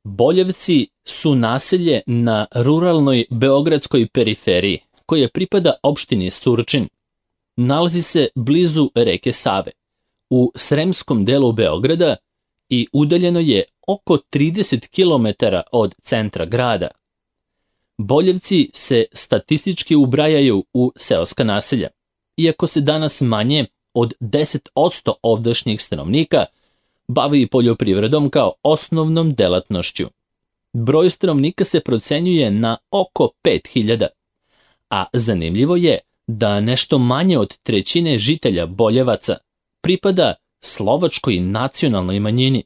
Boljevci su naselje na ruralnoj beogradskoj periferiji, koje pripada opštini Surčin. Nalazi se blizu reke Save, u sremskom delu Beograda i udaljeno je oko 30 km od centra grada. Boljevci se statistički ubrajaju u seoska naselja, iako se danas manje od 10% ovdašnjih stanovnika bavi poljoprivredom kao osnovnom delatnošću. Broj stanovnika se procenjuje na oko 5000, a zanimljivo je da nešto manje od trećine žitelja Boljevaca pripada slovačkoj nacionalnoj manjini.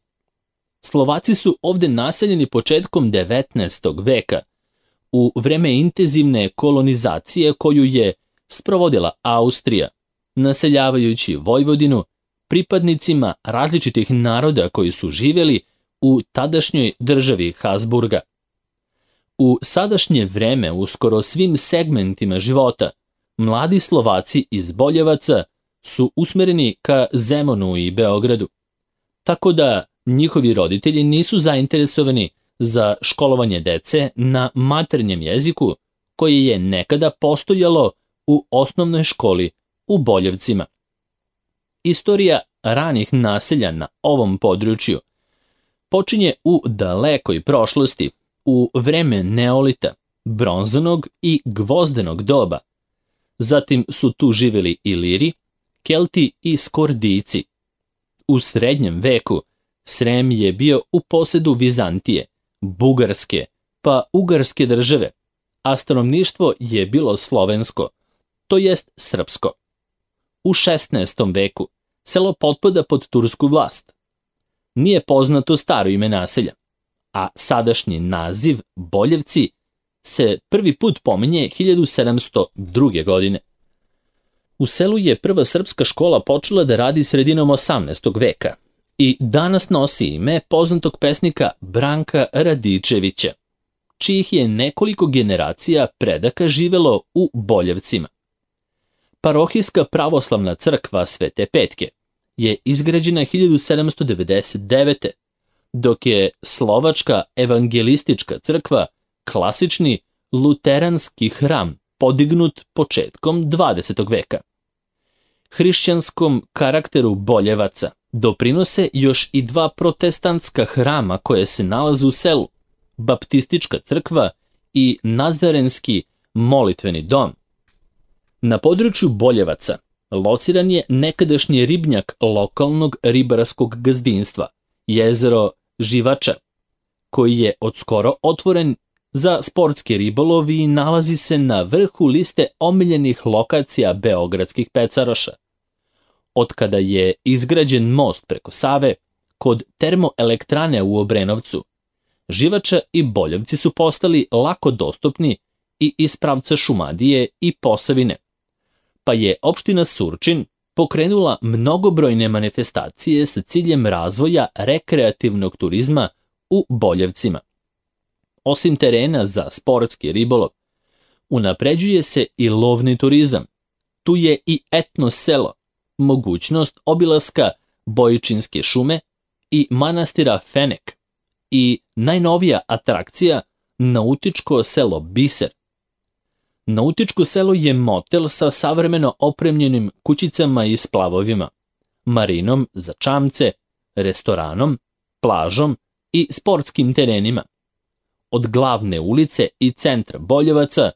Slovaci su ovde naseljeni početkom 19. veka, u vreme intenzivne kolonizacije koju je sprovodila Austrija, naseljavajući Vojvodinu pripadnicima različitih naroda koji su živjeli u tadašnjoj državi Habsburga. U sadašnje vreme, u skoro svim segmentima života, mladi Slovaci iz Boljevaca su usmereni ka Zemunu i Beogradu, tako da njihovi roditelji nisu zainteresovani za školovanje dece na maternjem jeziku koje je nekada postojalo u osnovnoj školi u Boljevcima. Istorija ranih naselja na ovom području počinje u dalekoj prošlosti, u vreme Neolita, bronzanog i gvozdenog doba. Zatim su tu živjeli Iliri, Kelti i Skordijci. U srednjem veku Srem je bio u posedu Vizantije, Bugarske, pa Ugarske države, a stanovništvo je bilo slovensko, to jest srpsko. U 16. veku selo potpada pod tursku vlast. Nije poznato staro ime naselja, a sadašnji naziv Boljevci se prvi put pominje 1702. godine. U selu je prva srpska škola počela da radi sredinom 18. veka i danas nosi ime poznatog pesnika Branka Radičevića, čijih je nekoliko generacija predaka živelo u Boljevcima. Parohijska pravoslavna crkva Svete Petke je izgrađena 1799. dok je Slovačka evangelistička crkva, klasični luteranski hram, podignut početkom 20. veka. Hrišćanskom karakteru Boljevaca doprinose još i dva protestantska hrama koje se nalaze u selu, baptistička crkva i nazarenski molitveni dom. Na području Boljevaca lociran je nekadašnji ribnjak lokalnog ribarskog gazdinstva, jezero Živača, koji je odskoro otvoren za sportski ribolov i nalazi se na vrhu liste omiljenih lokacija beogradskih pecaroša. Otkada je izgrađen most preko Save, kod termoelektrane u Obrenovcu, Živača i Boljevci su postali lako dostupni i iz pravca Šumadije i Posavine, pa je opština Surčin pokrenula mnogobrojne manifestacije sa ciljem razvoja rekreativnog turizma u Boljevcima. Osim terena za sportski ribolov, unapređuje se i lovni turizam. Tu je i etno selo, mogućnost obilaska Bojičinske šume i manastira Fenek i najnovija atrakcija nautičko selo Biser. Nautičko selo je motel sa savremeno opremljenim kućicama i splavovima, marinom za čamce, restoranom, plažom i sportskim terenima. Od glavne ulice i centra Boljevaca,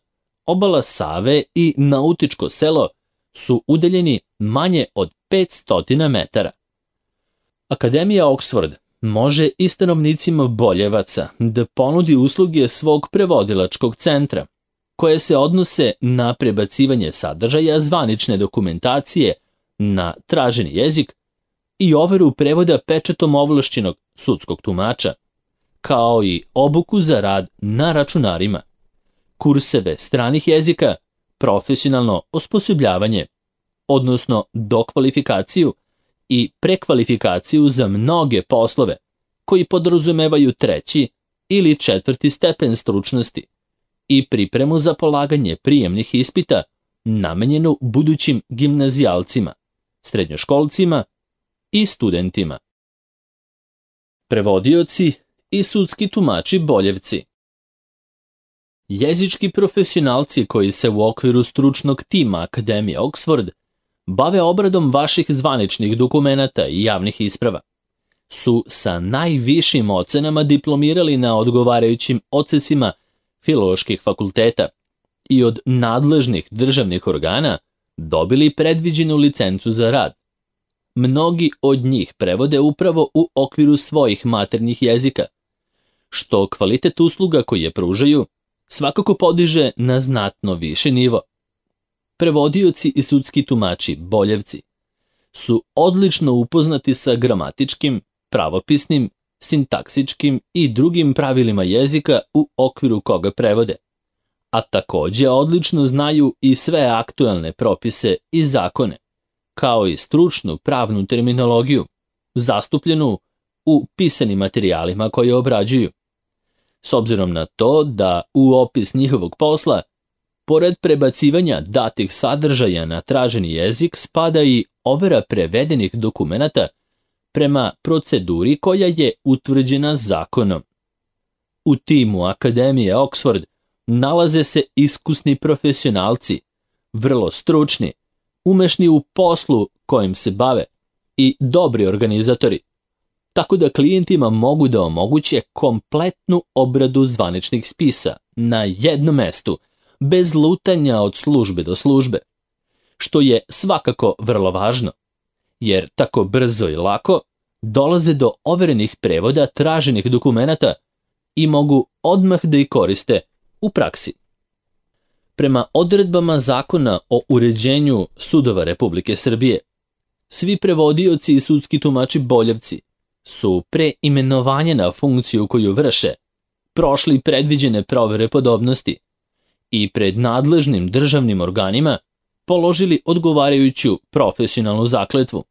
obala Save i nautičko selo su udaljeni manje od 500 metara. Akademija Oxford može i stanovnicima Boljevaca da ponudi usluge svog prevodilačkog centra, koje se odnose na prebacivanje sadržaja zvanične dokumentacije na traženi jezik i overu prevoda pečatom ovlašćenog sudskog tumača, kao i obuku za rad na računarima, kurseve stranih jezika, profesionalno osposobljavanje, odnosno dokvalifikaciju i prekvalifikaciju za mnoge poslove koji podrazumevaju 3. ili 4. stepen stručnosti i pripremu za polaganje prijemnih ispita namenjenu budućim gimnazijalcima, srednjoškolcima i studentima. Prevodioci i sudski tumači Boljevci. Jezički profesionalci koji se u okviru stručnog tima Akademije Oxford bave obradom vaših zvaničnih dokumenata i javnih isprava su sa najvišim ocenama diplomirali na odgovarajućim odsecima filoloških fakulteta i od nadležnih državnih organa dobili predviđenu licencu za rad. Mnogi od njih prevode upravo u okviru svojih maternjih jezika, što kvalitet usluga koje pružaju svakako podiže na znatno viši nivo. Prevodioci i sudski tumači Boljevci su odlično upoznati sa gramatičkim, pravopisnim, sintaksičkim i drugim pravilima jezika u okviru koga prevode, a takođe odlično znaju i sve aktuelne propise i zakone, kao i stručnu pravnu terminologiju, zastupljenu u pisanim materijalima koje obrađuju. S obzirom na to da u opis njihovog posla, pored prebacivanja datih sadržaja na traženi jezik, spada i overa prevedenih dokumenata prema proceduri koja je utvrđena zakonom. U timu Akademije Oxford nalaze se iskusni profesionalci, vrlo stručni, umešni u poslu kojim se bave i dobri organizatori, tako da klijentima mogu da omoguće kompletnu obradu zvaničnih spisa na jednom mestu, bez lutanja od službe do službe, što je svakako vrlo važno, jer tako brzo i lako dolaze do overenih prevoda traženih dokumenata i mogu odmah da ih koriste u praksi. Prema odredbama Zakona o uređenju sudova Republike Srbije, svi prevodioci i sudski tumači Boljevci su pre imenovanja na funkciju koju vrše prošli predviđene provere podobnosti i pred nadležnim državnim organima položili odgovarajuću profesionalnu zakletvu.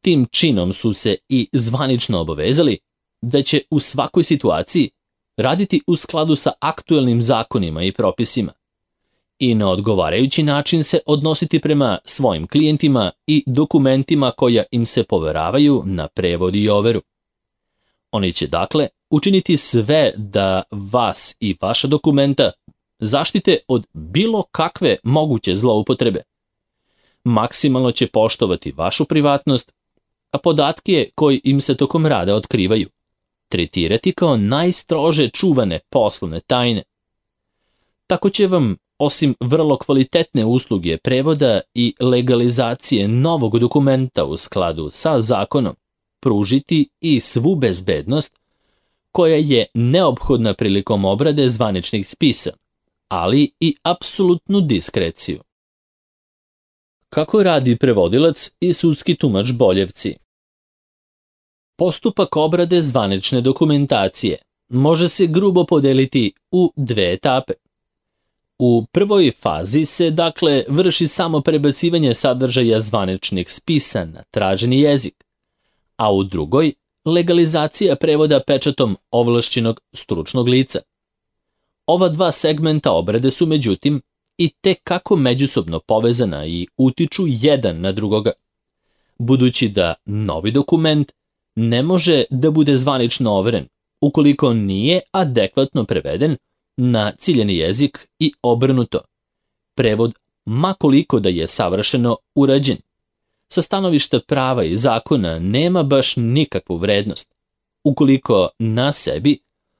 Tim činom su se i zvanično obavezali da će u svakoj situaciji raditi u skladu sa aktuelnim zakonima i propisima i na odgovarajući način se odnositi prema svojim klijentima i dokumentima koja im se poveravaju na prevod i overu. Oni će dakle učiniti sve da vas i vaša dokumenta zaštite od bilo kakve moguće zloupotrebe. Maksimalno će poštovati vašu privatnost, a podatke koji im se tokom rada otkrivaju tretirati kao najstrože čuvane poslovne tajne. Tako će vam, osim vrlo kvalitetne usluge prevoda i legalizacije novog dokumenta u skladu sa zakonom, pružiti i svu bezbednost koja je neophodna prilikom obrade zvaničnih spisa, ali i apsolutnu diskreciju. Kako radi prevodilac i sudski tumač Boljevci? Postupak obrade zvanične dokumentacije može se grubo podeliti u dve etape. U prvoj fazi se dakle vrši samo prebacivanje sadržaja zvaničnih spisa na traženi jezik, a u drugoj legalizacija prevoda pečatom ovlašćenog stručnog lica. Ova dva segmenta obrade su međutim i tekako međusobno povezana i utiču jedan na drugoga, budući da novi dokument ne može da bude zvanično overen ukoliko nije adekvatno preveden na ciljeni jezik i obrnuto. Prevod, makoliko da je savršeno urađen, sa stanovišta prava i zakona nema baš nikakvu vrednost, ukoliko na sebi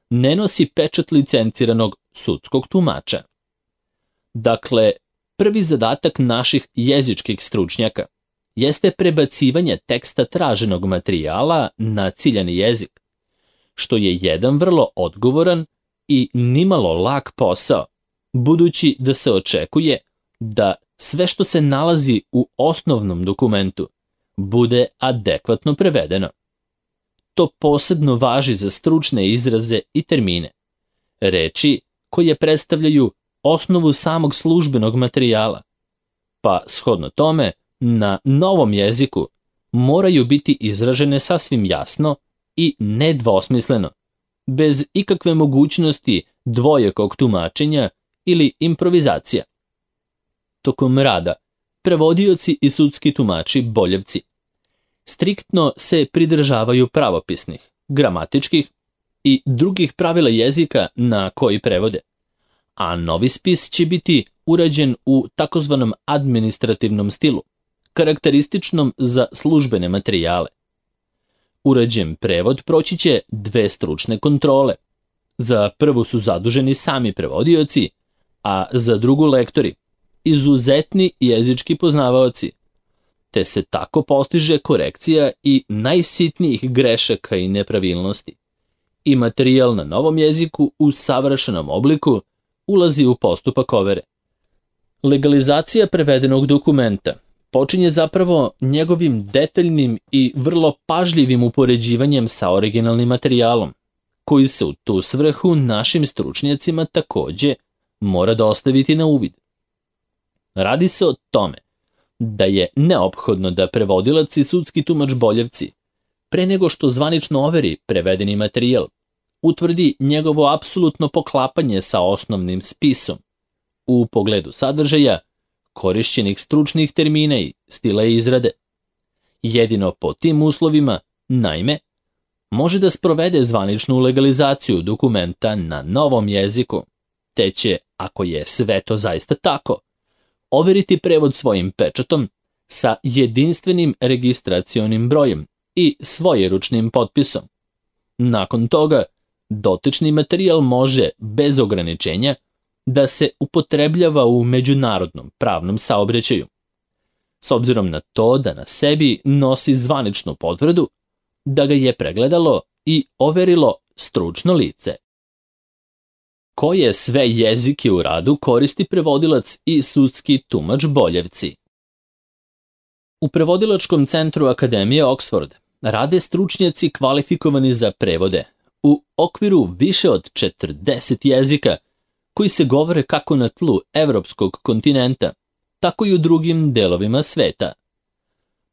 ne nosi pečat licenciranog sudskog tumača. Dakle, prvi zadatak naših jezičkih stručnjaka jeste prebacivanje teksta traženog materijala na ciljani jezik, što je jedan vrlo odgovoran i nimalo lak posao, budući da se očekuje da sve što se nalazi u osnovnom dokumentu bude adekvatno prevedeno. To posebno važi za stručne izraze i termine, reči koje predstavljaju osnovu samog službenog materijala, pa shodno tome na novom jeziku moraju biti izražene sasvim jasno i nedvosmisleno, bez ikakve mogućnosti dvojakog tumačenja ili improvizacija. Tokom rada, prevodioci i sudski tumači Boljevci striktno se pridržavaju pravopisnih, gramatičkih i drugih pravila jezika na koji prevode, a novi spis će biti urađen u takozvanom administrativnom stilu, karakterističnom za službene materijale. Urađen prevod proći će 2 stručne kontrole. Za prvu su zaduženi sami prevodioci, a za drugu lektori, izuzetni jezički poznavaoci, te se tako postiže korekcija i najsitnijih grešaka i nepravilnosti. I materijal na novom jeziku u savršenom obliku ulazi u postupak overe. Legalizacija prevedenog dokumenta počinje zapravo njegovim detaljnim i vrlo pažljivim upoređivanjem sa originalnim materijalom, koji se u tu svrhu našim stručnjacima takođe mora dostaviti na uvid. Radi se o tome da je neophodno da prevodilac i sudski tumač Boljevci, pre nego što zvanično overi prevedeni materijal, utvrdi njegovo apsolutno poklapanje sa osnovnim spisom u pogledu sadržaja, korišćenih stručnih termina i stila izrade. Jedino po tim uslovima, naime, može da sprovede zvaničnu legalizaciju dokumenta na novom jeziku, te će, ako je sve to zaista tako, overiti prevod svojim pečatom sa jedinstvenim registracionim brojem i svojeručnim potpisom. Nakon toga, dotični materijal može, bez ograničenja, da se upotrebljava u međunarodnom pravnom saobraćaju. S obzirom na to da na sebi nosi zvaničnu potvrdu da ga je pregledalo i overilo stručno lice. Koje sve jezike u radu koristi prevodilac i sudski tumač Boljevci? U Prevodilačkom centru Akademije Oxford rade stručnjaci kvalifikovani za prevode u okviru više od 40 jezika koji se govore kako na tlu evropskog kontinenta, tako i u drugim delovima sveta.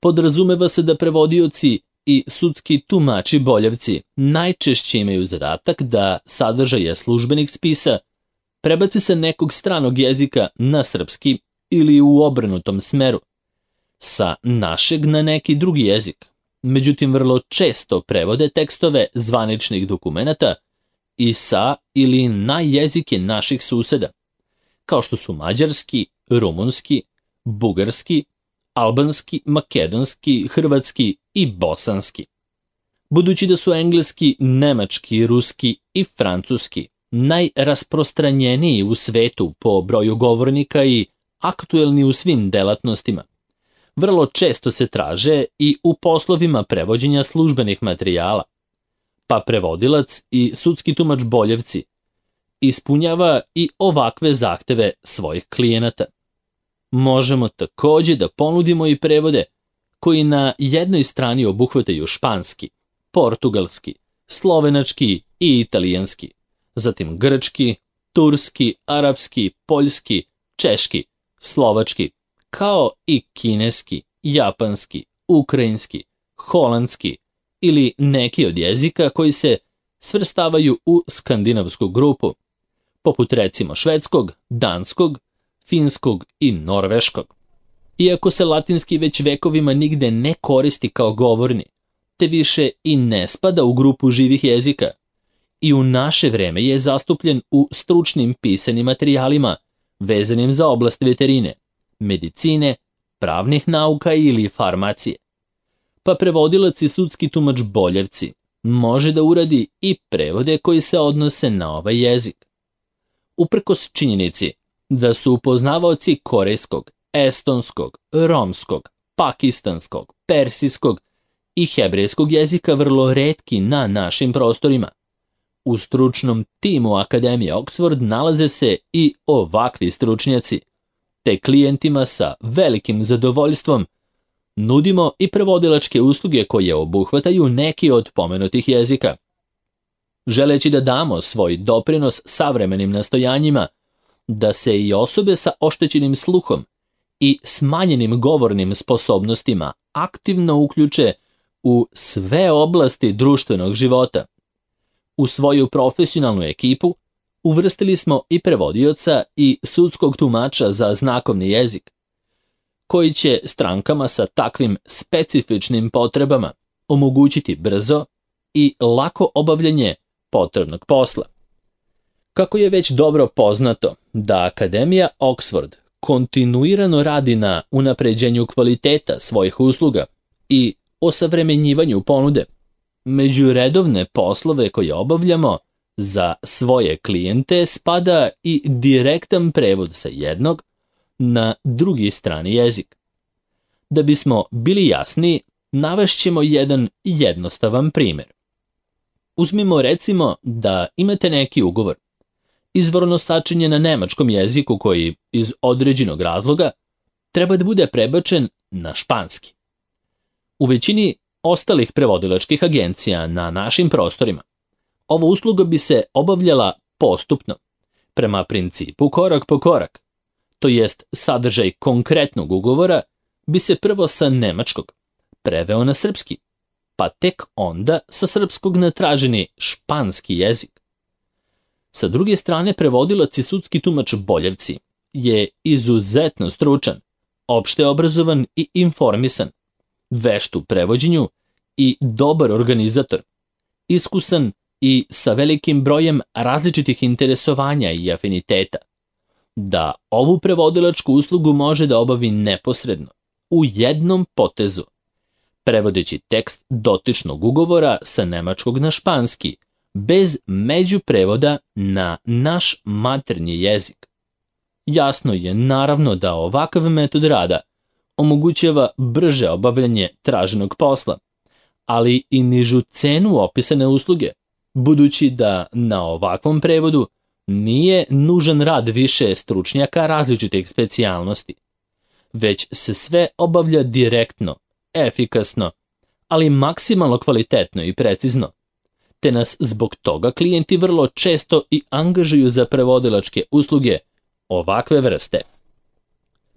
Podrazumeva se da prevodioci i sudski tumači Boljevci najčešće imaju zadatak da sadržaje službenih spisa prebaci sa nekog stranog jezika na srpski ili u obrnutom smeru, sa našeg na neki drugi jezik. Međutim, vrlo često prevode tekstove zvaničnih dokumenata i sa ili na jezike naših suseda, kao što su mađarski, rumunski, bugarski, albanski, makedonski, hrvatski i bosanski. Budući da su engleski, nemački, ruski i francuski najrasprostranjeniji u svetu po broju govornika i aktuelni u svim delatnostima, vrlo često se traže i u poslovima prevođenja službenih materijala, pa prevodilac i sudski tumač Boljevci ispunjava i ovakve zahteve svojih klijenata. Možemo takođe da ponudimo i prevode koji na jednoj strani obuhvataju španski, portugalski, slovenački i italijanski, zatim grčki, turski, arapski, poljski, češki, slovački, kao i kineski, japanski, ukrajinski, holandski ili neki od jezika koji se svrstavaju u skandinavsku grupu, poput recimo švedskog, danskog, finskog i norveškog. Iako se latinski već vekovima nigde ne koristi kao govorni, te više i ne spada u grupu živih jezika, i u naše vreme je zastupljen u stručnim pisanim materijalima vezanim za oblast veterine, medicine, pravnih nauka ili farmacije. Pa prevodilac i sudski tumač Boljevci može da uradi i prevode koji se odnose na ovaj jezik. Uprkos činjenici da su upoznavaoci korejskog, estonskog, romskog, pakistanskog, persijskog i hebrejskog jezika vrlo retki na našim prostorima, u stručnom timu Akademije Oxford nalaze se i ovakvi stručnjaci, te klijentima sa velikim zadovoljstvom nudimo i prevodilačke usluge koje obuhvataju neki od pomenutih jezika. Želeći da damo svoj doprinos savremenim nastojanjima da se i osobe sa oštećenim sluhom i smanjenim govornim sposobnostima aktivno uključe u sve oblasti društvenog života. U svoju profesionalnu ekipu uvrstili smo i prevodioca i sudskog tumača za znakovni jezik, koji će strankama sa takvim specifičnim potrebama omogućiti brzo i lako obavljanje potrebnog posla. Kako je već dobro poznato da Akademija Oxford kontinuirano radi na unapređenju kvaliteta svojih usluga i osavremenjivanju ponude, među redovne poslove koje obavljamo za svoje klijente spada i direktan prevod sa jednog na drugi strani jezik. Da bismo bili jasni, navešćemo jedan jednostavan primjer. Uzmimo recimo da imate neki ugovor, izvorno sačinjen na nemačkom jeziku koji iz određenog razloga treba da bude prebačen na španski. U većini ostalih prevodilačkih agencija na našim prostorima ova usluga bi se obavljala postupno, prema principu korak po korak, to jest sadržaj konkretnog ugovora bi se prvo sa nemačkog preveo na srpski, pa tek onda sa srpskog na traženi španski jezik. Sa druge strane, prevodilac i sudski tumač Boljevci je izuzetno stručan, opšte obrazovan i informisan, vešt u prevođenju i dobar organizator, iskusan i sa velikim brojem različitih interesovanja i afiniteta, da ovu prevodilačku uslugu može da obavi neposredno, u jednom potezu, prevodeći tekst dotičnog ugovora sa nemačkog na španski, bez međuprevoda na naš maternji jezik. Jasno je naravno da ovakav metod rada omogućava brže obavljanje traženog posla, ali i nižu cenu opisane usluge, budući da na ovakvom prevodu nije nužan rad više stručnjaka različitih specijalnosti, već se sve obavlja direktno, efikasno, ali maksimalno kvalitetno i precizno, te nas zbog toga klijenti vrlo često i angažuju za prevodilačke usluge ovakve vrste.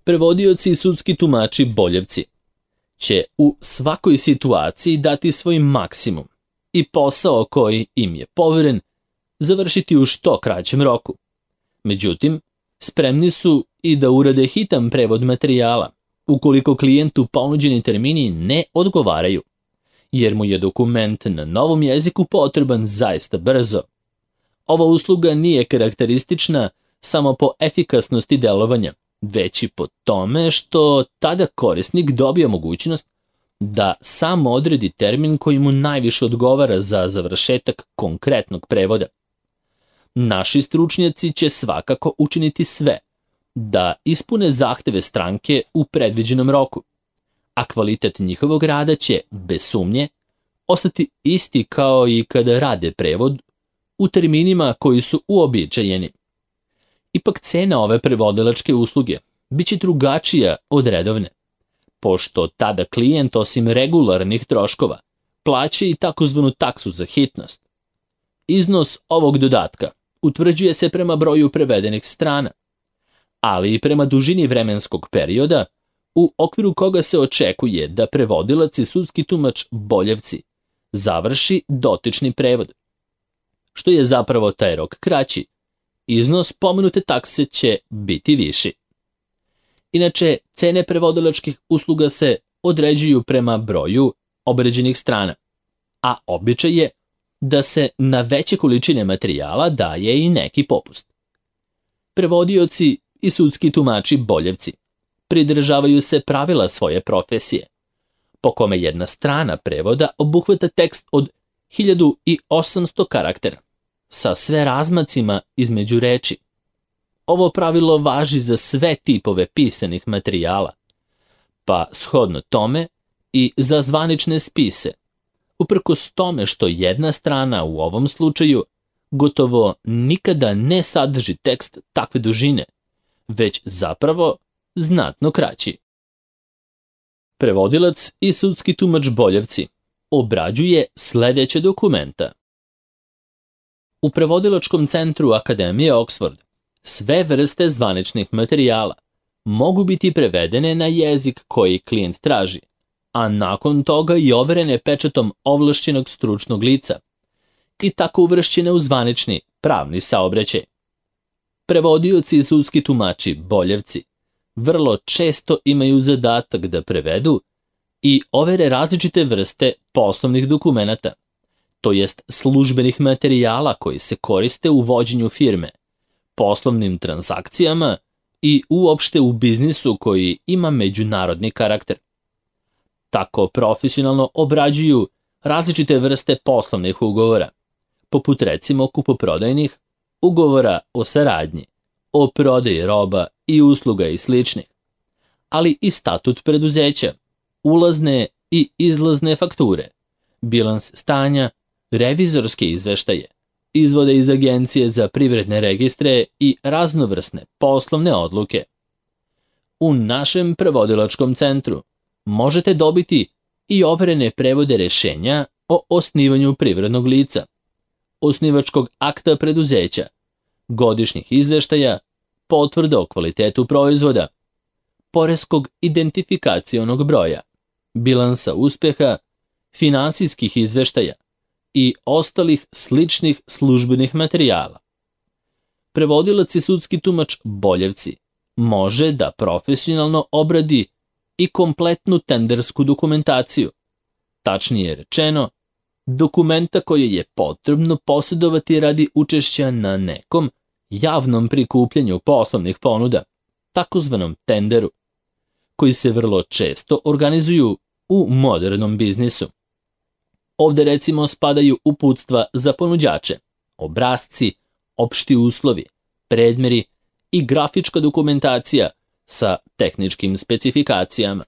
Prevodioci i sudski tumači Boljevci će u svakoj situaciji dati svoj maksimum i posao koji im je poveren završiti u što kraćem roku. Međutim, spremni su i da urade hitan prevod materijala, ukoliko klijentu ponuđeni termini ne odgovaraju, jer mu je dokument na novom jeziku potreban zaista brzo. Ova usluga nije karakteristična samo po efikasnosti delovanja, već i po tome što tada korisnik dobija mogućnost da sam odredi termin koji mu najviše odgovara za završetak konkretnog prevoda. Naši stručnjaci će svakako učiniti sve da ispune zahteve stranke u predviđenom roku, a kvalitet njihovog rada će, bez sumnje, ostati isti kao i kada rade prevod u terminima koji su uobičajeni. Ipak cena ove prevodilačke usluge biće drugačija od redovne, pošto tada klijent osim regularnih troškova plaća i takozvanu taksu za hitnost. Iznos ovog dodatka utvrđuje se prema broju prevedenih strana, ali i prema dužini vremenskog perioda u okviru koga se očekuje da prevodilac i sudski tumač Boljevci završi dotični prevod. Što je zapravo taj rok kraći, iznos pomenute takse će biti viši. Inače, cene prevodilačkih usluga se određuju prema broju obređenih strana, a običaj je da se na veće količine materijala daje i neki popust. Prevodioci i sudski tumači Boljevci pridržavaju se pravila svoje profesije, po kome jedna strana prevoda obuhvata tekst od 1800 karaktera, sa sve razmacima između reči. Ovo pravilo važi za sve tipove pisanih materijala, pa shodno tome i za zvanične spise, uprkos tome što jedna strana u ovom slučaju gotovo nikada ne sadrži tekst takve dužine, već zapravo znatno kraći. Prevodilac i sudski tumač Boljevci obrađuje sledeće dokumenta. U prevodilačkom centru Akademije Oxford sve vrste zvaničnih materijala mogu biti prevedene na jezik koji klijent traži, a nakon toga i overene pečatom ovlašćenog stručnog lica i tako uvršćene u zvanični pravni saobraćaj. Prevodioci i sudski tumači Boljevci vrlo često imaju zadatak da prevedu i overe različite vrste poslovnih dokumenata, to jest službenih materijala koji se koriste u vođenju firme, poslovnim transakcijama i uopšte u biznisu koji ima međunarodni karakter. Tako profesionalno obrađuju različite vrste poslovnih ugovora, poput recimo kupoprodajnih, ugovora o saradnji, o prodaji roba i usluga i sličnih, ali i statut preduzeća, ulazne i izlazne fakture, bilans stanja, revizorske izveštaje, izvode iz Agencije za privredne registre i raznovrsne poslovne odluke. U našem prevodilačkom centru možete dobiti i overene prevode rešenja o osnivanju privrednog lica, osnivačkog akta preduzeća, godišnjih izveštaja, potvrda o kvalitetu proizvoda, poreskog identifikacionog broja, bilansa uspeha, finansijskih izveštaja i ostalih sličnih službenih materijala. Prevodilac i sudski tumač Boljevci može da profesionalno obradi i kompletnu tendersku dokumentaciju, tačnije rečeno, dokumenta koje je potrebno posjedovati radi učešća na nekom javnom prikupljanju poslovnih ponuda, takozvanom tenderu, koji se vrlo često organizuju u modernom biznisu. Ovde recimo spadaju uputstva za ponuđače, obrasci, opšti uslovi, predmeri i grafička dokumentacija sa tehničkim specifikacijama.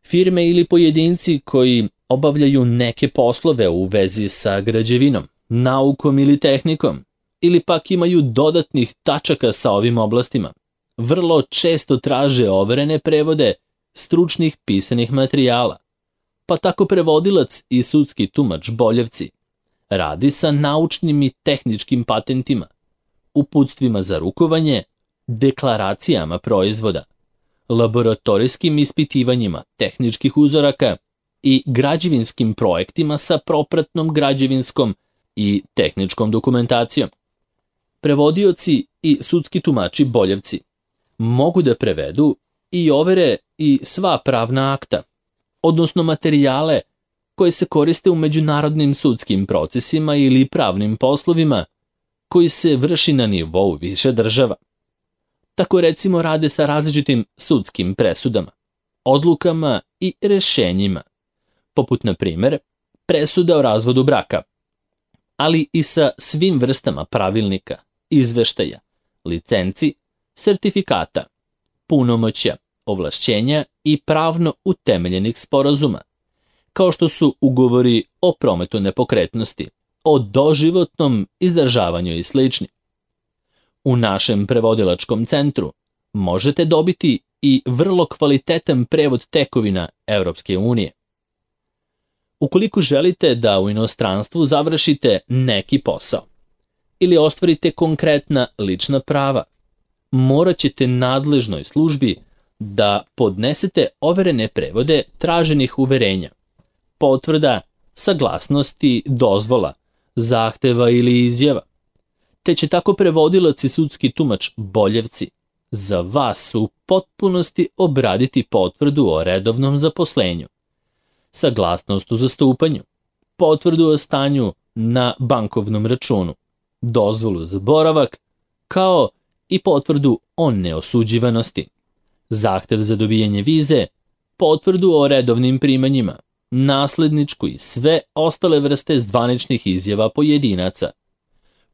Firme ili pojedinci koji obavljaju neke poslove u vezi sa građevinom, naukom ili tehnikom, ili pak imaju dodatnih tačaka sa ovim oblastima, vrlo često traže overene prevode stručnih pisanih materijala, pa tako prevodilac i sudski tumač Boljevci radi sa naučnim i tehničkim patentima, uputstvima za rukovanje, deklaracijama proizvoda, laboratorijskim ispitivanjima tehničkih uzoraka i građevinskim projektima sa propratnom građevinskom i tehničkom dokumentacijom. Prevodioci i sudski tumači Boljevci mogu da prevedu i overe i sva pravna akta, odnosno materijale koje se koriste u međunarodnim sudskim procesima ili pravnim poslovima koji se vrši na nivou više država. Tako recimo rade sa različitim sudskim presudama, odlukama i rešenjima, poput na primer presuda o razvodu braka, ali i sa svim vrstama pravilnika, izveštaja, licenci, sertifikata, punomoćja, ovlašćenja i pravno utemeljenih sporazuma, kao što su ugovori o prometu nepokretnosti, o doživotnom izdržavanju i slični. U našem prevodilačkom centru možete dobiti i vrlo kvalitetan prevod tekovina Evropske unije. Ukoliko želite da u inostranstvu završite neki posao ili ostvarite konkretna lična prava, morat ćete nadležnoj službi da podnesete overene prevode traženih uverenja, potvrda, saglasnosti, dozvola, zahteva ili izjava, te će tako prevodilac i sudski tumač Boljevci za vas u potpunosti obraditi potvrdu o redovnom zaposlenju, saglasnost u zastupanju, potvrdu o stanju na bankovnom računu, dozvolu za boravak, kao i potvrdu o neosuđivanosti, zahtev za dobijanje vize, potvrdu o redovnim primanjima, nasledničku i sve ostale vrste zvaničnih izjava pojedinaca,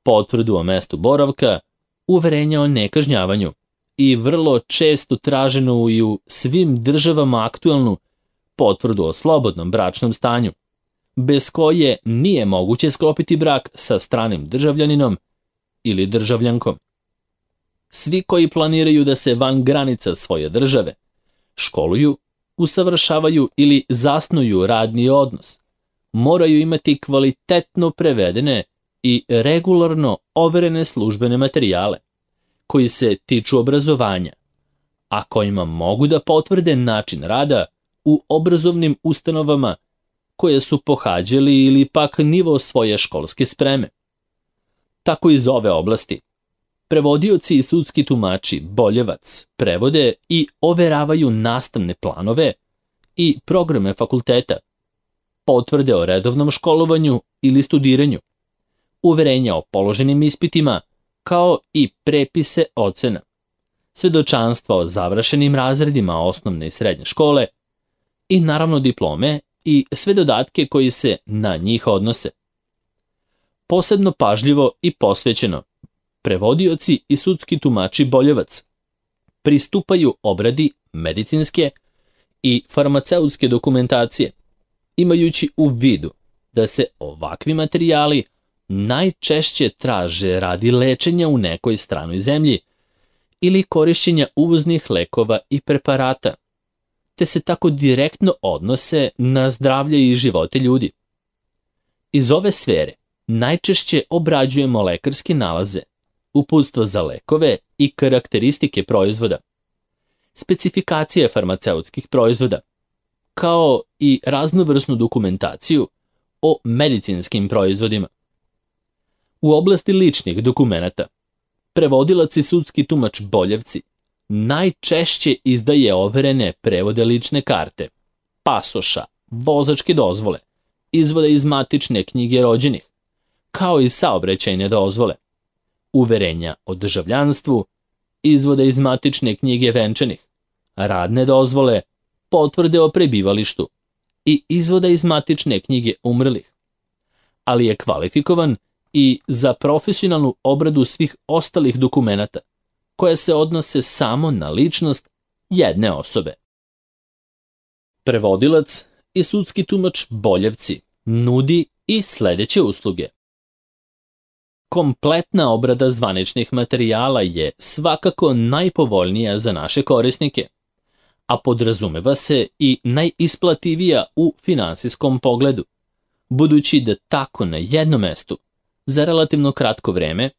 potvrdu o mestu boravka, uverenja o nekažnjavanju i vrlo često traženu i u svim državama aktualnu potvrdu o slobodnom bračnom stanju, bez koje nije moguće sklopiti brak sa stranim državljaninom ili državljankom. Svi koji planiraju da se van granica svoje države školuju, usavršavaju ili zasnuju radni odnos, moraju imati kvalitetno prevedene i regularno overene službene materijale koji se tiču obrazovanja, a kojima mogu da potvrde način rada u obrazovnim ustanovama koje su pohađali ili pak nivo svoje školske spreme. Tako iz ove oblasti prevodioci i sudski tumači Boljevac prevode i overavaju nastavne planove i programe fakulteta, potvrde o redovnom školovanju ili studiranju, uverenja o položenim ispitima, kao i prepise ocena, svedočanstva o završenim razredima osnovne i srednje škole i naravno diplome i sve dodatke koji se na njih odnose. Posebno pažljivo i posvećeno, prevodioci i sudski tumači Boljevac pristupaju obradi medicinske i farmaceutske dokumentacije, imajući u vidu da se ovakvi materijali najčešće traže radi lečenja u nekoj stranoj zemlji ili korišćenja uvoznih lekova i preparata, te se tako direktno odnose na zdravlje i živote ljudi. Iz ove sfere najčešće obrađujemo lekarske nalaze, uputstva za lekove i karakteristike proizvoda, specifikacije farmaceutskih proizvoda, kao i raznovrsnu dokumentaciju o medicinskim proizvodima. U oblasti ličnih dokumenata, prevodilac i sudski tumač Boljevci najčešće izdaje overene prevode lične karte, pasoša, vozačke dozvole, izvode iz matične knjige rođenih, kao i saobraćajne dozvole, uverenja o državljanstvu, izvode iz matične knjige venčanih, radne dozvole, potvrde o prebivalištu i izvoda iz matične knjige umrlih, ali je kvalifikovan i za profesionalnu obradu svih ostalih dokumenata, koje se odnose samo na ličnost jedne osobe. Prevodilac i sudski tumač Boljevci nudi i sledeće usluge. Kompletna obrada zvaničnih materijala je svakako najpovoljnija za naše korisnike, a podrazumeva se i najisplativija u finansijskom pogledu, budući da tako na jednom mestu, za relativno kratko vreme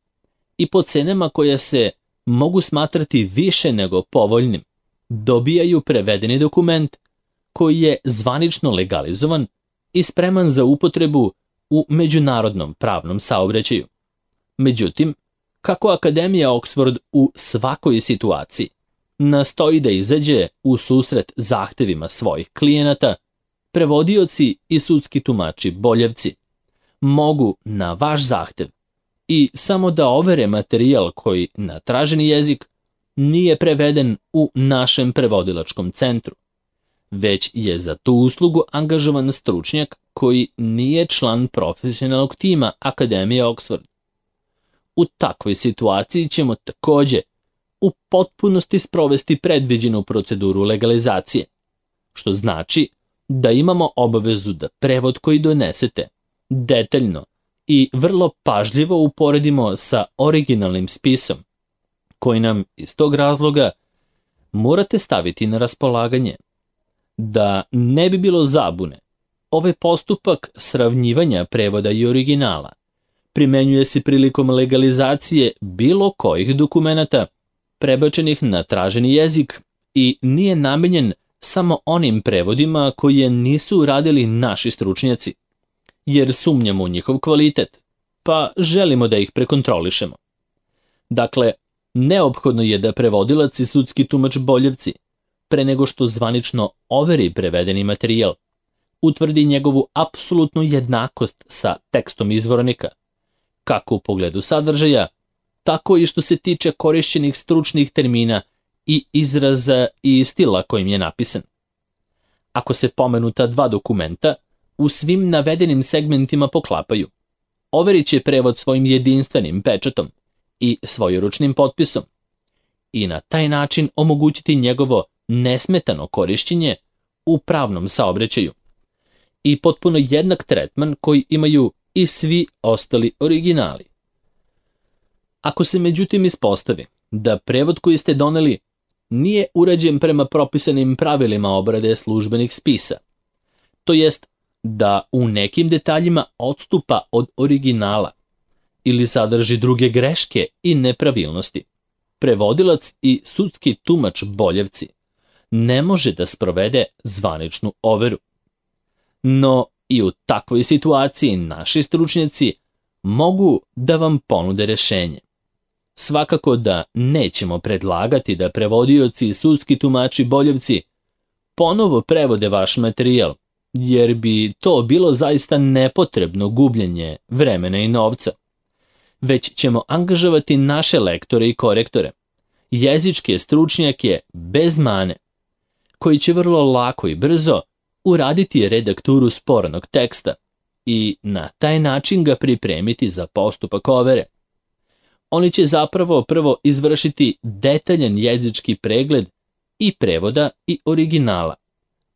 i po cenama koje se mogu smatrati više nego povoljnim, dobijaju prevedeni dokument koji je zvanično legalizovan i spreman za upotrebu u međunarodnom pravnom saobraćaju. Međutim, kako Akademija Oxford u svakoj situaciji nastoji da izađe u susret zahtevima svojih klijenata, prevodioci i sudski tumači Boljevci mogu na vaš zahtev i samo da overe materijal koji na traženi jezik nije preveden u našem prevodilačkom centru, već je za tu uslugu angažovan stručnjak koji nije član profesionalnog tima Akademije Oxford. U takvoj situaciji ćemo takođe u potpunosti sprovesti predviđenu proceduru legalizacije, što znači da imamo obavezu da prevod koji donesete detaljno i vrlo pažljivo uporedimo sa originalnim spisom, koji nam iz tog razloga morate staviti na raspolaganje. Da ne bi bilo zabune, ovaj postupak sravnjivanja prevoda i originala primenjuje se prilikom legalizacije bilo kojih dokumenata prebačenih na traženi jezik i nije namenjen samo onim prevodima koje nisu uradili naši stručnjaci, jer sumnjamo u njihov kvalitet, pa želimo da ih prekontrolišemo. Dakle, neophodno je da prevodilac i sudski tumač Boljevci, pre nego što zvanično overi prevedeni materijal, utvrdi njegovu apsolutnu jednakost sa tekstom izvornika, kako u pogledu sadržaja, tako i što se tiče korišćenih stručnih termina i izraza i stila kojim je napisan. Ako se pomenuta dva dokumenta u svim navedenim segmentima poklapaju, overit će prevod svojim jedinstvenim pečatom i svojeručnim potpisom i na taj način omogućiti njegovo nesmetano korišćenje u pravnom saobraćaju i potpuno jednak tretman koji imaju i svi ostali originali. Ako se međutim ispostavi da prevod koji ste doneli nije urađen prema propisanim pravilima obrade službenih spisa, to jest da u nekim detaljima odstupa od originala ili sadrži druge greške i nepravilnosti, prevodilac i sudski tumač Boljevci ne može da sprovede zvaničnu overu. No i u takvoj situaciji naši stručnjaci mogu da vam ponude rešenje. Svakako da nećemo predlagati da prevodioci i sudski tumači Boljevci ponovo prevode vaš materijal jer bi to bilo zaista nepotrebno gubljenje vremena i novca. Već ćemo angažovati naše lektore i korektore, jezičke stručnjake bez mane, koji će vrlo lako i brzo uraditi redakturu sporanog teksta i na taj način ga pripremiti za postupak overe. Oni će zapravo prvo izvršiti detaljan jezički pregled i prevoda i originala,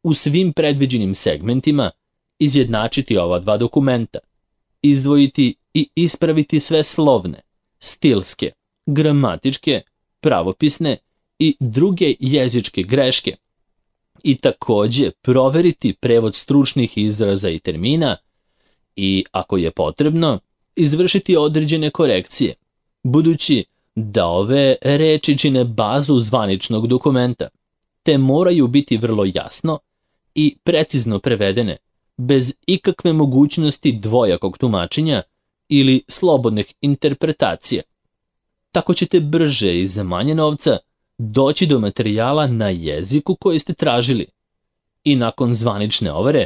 u svim predviđenim segmentima izjednačiti ova dva dokumenta, izdvojiti i ispraviti sve slovne, stilske, gramatičke, pravopisne i druge jezičke greške i takođe proveriti prevod stručnih izraza i termina i, ako je potrebno, izvršiti određene korekcije, budući da ove reči čine bazu zvaničnog dokumenta, te moraju biti vrlo jasno i precizno prevedene, bez ikakve mogućnosti dvojakog tumačenja ili slobodnih interpretacija. Tako ćete brže i za manje novca doći do materijala na jeziku koji ste tražili i nakon zvanične overe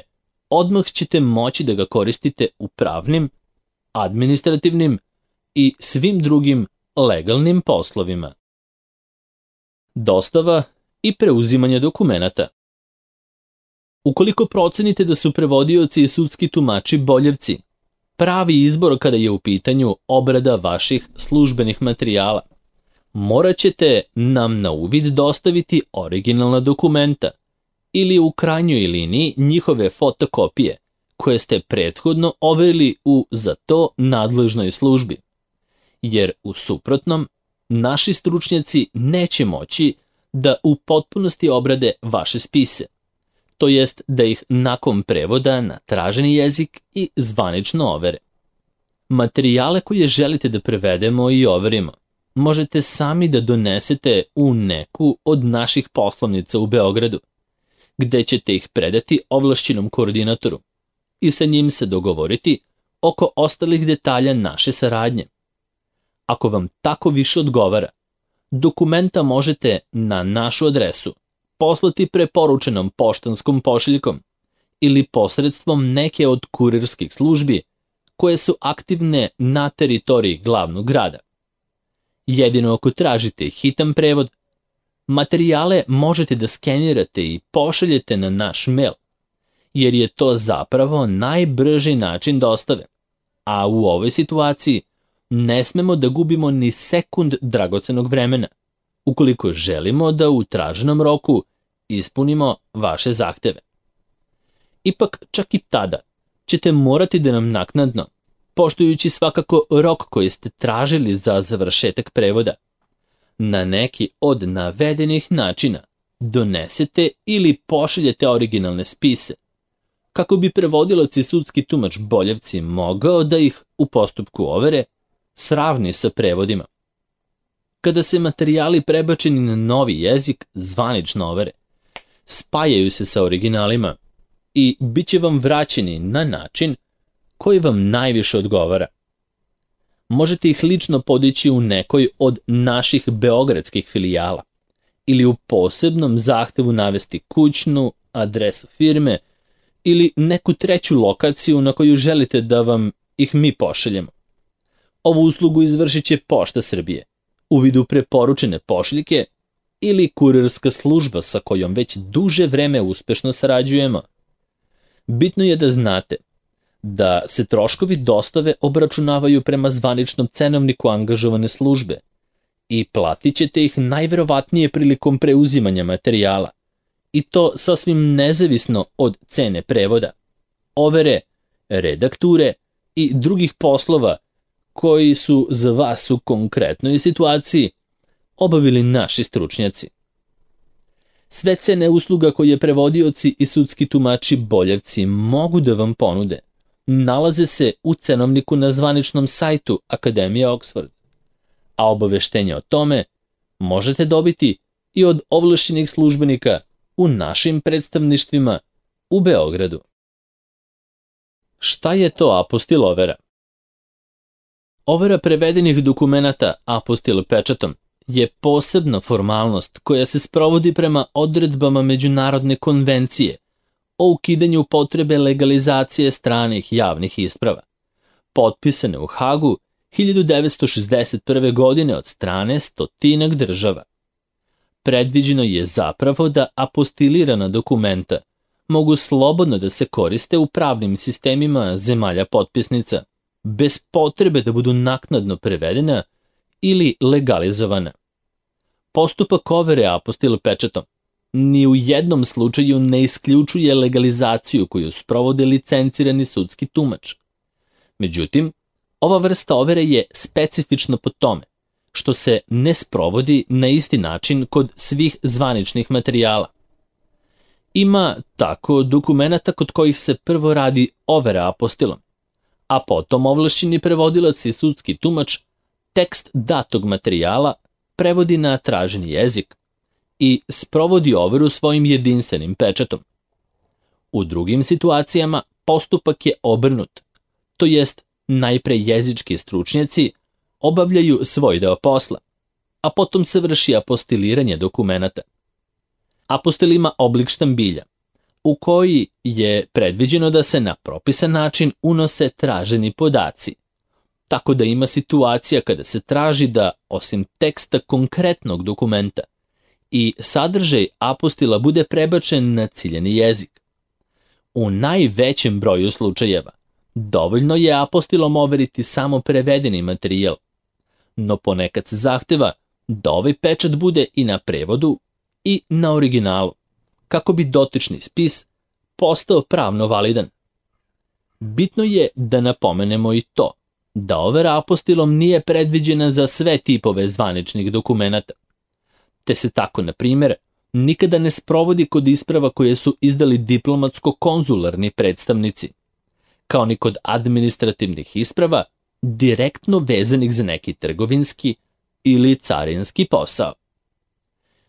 odmah ćete moći da ga koristite u pravnim, administrativnim i svim drugim legalnim poslovima. Dostava i preuzimanje dokumenata. Ukoliko procenite da su prevodioci i sudski tumači boljevci, pravi izbor kada je u pitanju obrada vaših službenih materijala, morat ćete nam na uvid dostaviti originalna dokumenta ili u krajnjoj liniji njihove fotokopije koje ste prethodno overili u za to nadležnoj službi, jer u suprotnom naši stručnjaci neće moći da u potpunosti obrade vaše spise, to jest da ih nakon prevoda na traženi jezik i zvanično overe. Materijale koje želite da prevedemo i overimo možete sami da donesete u neku od naših poslovnica u Beogradu, gde ćete ih predati ovlašćenom koordinatoru i sa njim se dogovoriti oko ostalih detalja naše saradnje. Ako vam tako više odgovara, dokumenta možete na našu adresu poslati preporučenom poštanskom pošiljkom ili posredstvom neke od kurirskih službi koje su aktivne na teritoriji glavnog grada. Jedino ako tražite hitan prevod, materijale možete da skenirate i pošaljete na naš mail, jer je to zapravo najbrži način dostave, a u ovoj situaciji ne smemo da gubimo ni sekund dragocenog vremena, ukoliko želimo da u traženom roku ispunimo vaše zahteve. Ipak, čak i tada ćete morati da nam naknadno, poštujući svakako rok koji ste tražili za završetak prevoda, na neki od navedenih načina donesete ili pošaljete originalne spise, kako bi prevodilac i sudski tumač boljevci mogao da ih u postupku overe sravni sa prevodima. Kada se materijali prebačeni na novi jezik zvanično overe, spajaju se sa originalima i bit će vam vraćeni na način koji vam najviše odgovara. Možete ih lično podići u nekoj od naših beogradskih filijala ili u posebnom zahtevu navesti kućnu, adresu firme ili neku treću lokaciju na koju želite da vam ih mi pošaljemo. Ovu uslugu izvršit će Pošta Srbije u vidu preporučene pošiljke ili kurirska služba sa kojom već duže vreme uspešno sarađujemo. Bitno je da znate da se troškovi dostave obračunavaju prema zvaničnom cenovniku angažovane službe i platit ćete ih najverovatnije prilikom preuzimanja materijala, i to sasvim nezavisno od cene prevoda, overe, redakture i drugih poslova koji su za vas u konkretnoj situaciji obavili naši stručnjaci. Sve cene usluga koje prevodioci i sudski tumači boljevci mogu da vam ponude nalaze se u cenovniku na zvaničnom sajtu Akademije Oxford, a obaveštenje o tome možete dobiti i od ovlašćenih službenika u našim predstavništvima u Beogradu. Šta je to apostil overa? Overa prevedenih dokumenata apostil pečatom je posebna formalnost koja se sprovodi prema odredbama Međunarodne konvencije o ukidanju potrebe legalizacije stranih javnih isprava, potpisane u Hagu 1961. godine od strane 100 država. Predviđeno je zapravo da apostilirana dokumenta mogu slobodno da se koriste u pravnim sistemima zemalja potpisnica, bez potrebe da budu naknadno prevedena ili legalizovana. Postupak overe apostil pečatom ni u jednom slučaju ne isključuje legalizaciju koju sprovode licencirani sudski tumač. Međutim, ova vrsta overe je specifična po tome što se ne sprovodi na isti način kod svih zvaničnih materijala. Ima tako dokumenata kod kojih se prvo radi overa apostilom, a potom ovlašćeni prevodilac i sudski tumač tekst datog materijala prevodi na traženi jezik i sprovodi overu svojim jedinstvenim pečatom. U drugim situacijama postupak je obrnut, to jest najpre jezički stručnjaci obavljaju svoj deo posla, a potom se vrši apostiliranje dokumenata. Apostil ima oblik štambilja, u koji je predviđeno da se na propisan način unose traženi podaci, tako da ima situacija kada se traži da, osim teksta konkretnog dokumenta, i sadržaj apostila bude prebačen na ciljani jezik. U najvećem broju slučajeva dovoljno je apostilom overiti samo prevedeni materijal, no ponekad se zahteva da ovaj pečat bude i na prevodu i na originalu, kako bi dotični spis postao pravno validan. Bitno je da napomenemo i to da overa apostilom nije predviđena za sve tipove zvaničnih dokumenata, te se tako, na primjer, nikada ne sprovodi kod isprava koje su izdali diplomatsko-konzularni predstavnici, kao ni kod administrativnih isprava direktno vezanih za neki trgovinski ili carinski posao.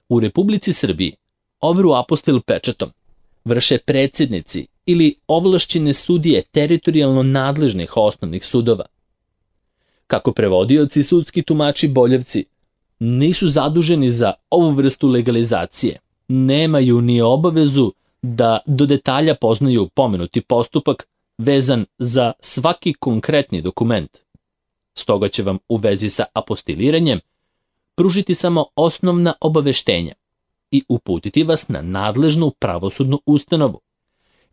U Republici Srbiji overu apostil pečatom vrše predsjednici ili ovlašćene sudije teritorijalno nadležnih osnovnih sudova. Kako prevodioci i sudski tumači Boljevci nisu zaduženi za ovu vrstu legalizacije, nemaju ni obavezu da do detalja poznaju pomenuti postupak vezan za svaki konkretni dokument. Stoga će vam u vezi sa apostiliranjem pružiti samo osnovna obaveštenja i uputiti vas na nadležnu pravosudnu ustanovu,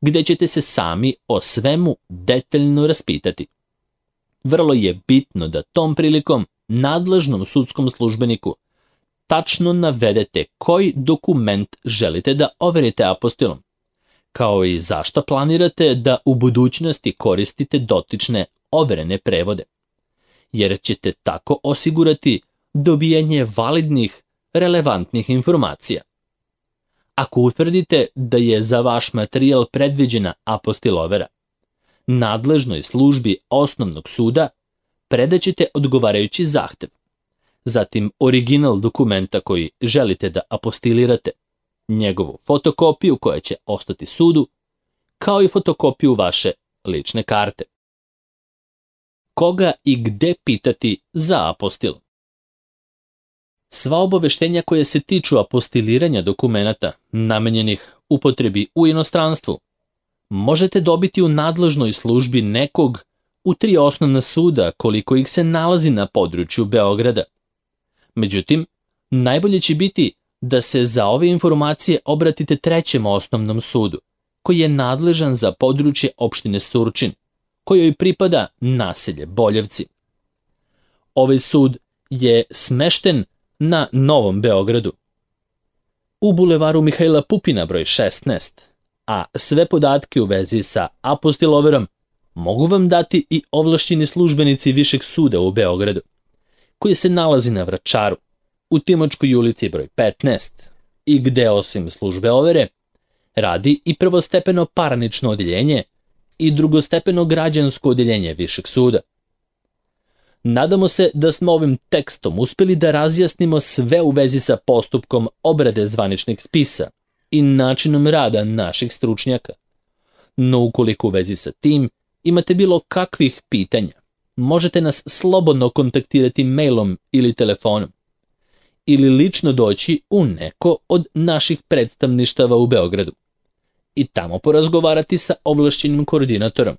gde ćete se sami o svemu detaljno raspitati. Vrlo je bitno da tom prilikom nadležnom sudskom službeniku tačno navedete koji dokument želite da overite apostilom, kao i zašto planirate da u budućnosti koristite dotične overene prevode, jer ćete tako osigurati dobijanje validnih, relevantnih informacija. Ako utvrdite da je za vaš materijal predviđena apostil overa, nadležnoj službi osnovnog suda predaćete odgovarajući zahtev, zatim original dokumenta koji želite da apostilirate, njegovu fotokopiju koja će ostati sudu, kao i fotokopiju vaše lične karte. Koga i gde pitati za apostil? Sva obaveštenja koje se tiču apostiliranja dokumenata namenjenih upotrebi u inostranstvu možete dobiti u nadležnoj službi nekog u 3 osnovna suda koliko ih se nalazi na području Beograda. Međutim, najbolje će biti da se za ove informacije obratite 3. osnovnom sudu, koji je nadležan za područje opštine Surčin, kojoj pripada naselje Boljevci. Ovaj sud je smešten na Novom Beogradu, u bulevaru Mihajla Pupina broj 16, a sve podatke u vezi sa apostil overom mogu vam dati i ovlašćeni službenici Višeg suda u Beogradu, koji se nalazi na Vračaru, u Timočkoj ulici broj 15, i gde osim službe overe radi i prvostepeno parnično odeljenje i drugostepeno građansko odeljenje Višeg suda. Nadamo se da smo ovim tekstom uspeli da razjasnimo sve u vezi sa postupkom obrade zvaničnih spisa i načinom rada naših stručnjaka. No ukoliko u vezi sa tim imate bilo kakvih pitanja, možete nas slobodno kontaktirati mailom ili telefonom, ili lično doći u neko od naših predstavništava u Beogradu, i tamo porazgovarati sa ovlašćenim koordinatorom.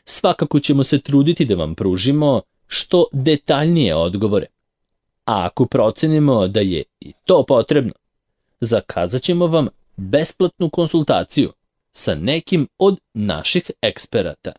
Svakako ćemo se truditi da vam pružimo što detaljnije odgovore. A ako procenimo da je i to potrebno, zakazat ćemo vam besplatnu konsultaciju sa nekim od naših eksperata.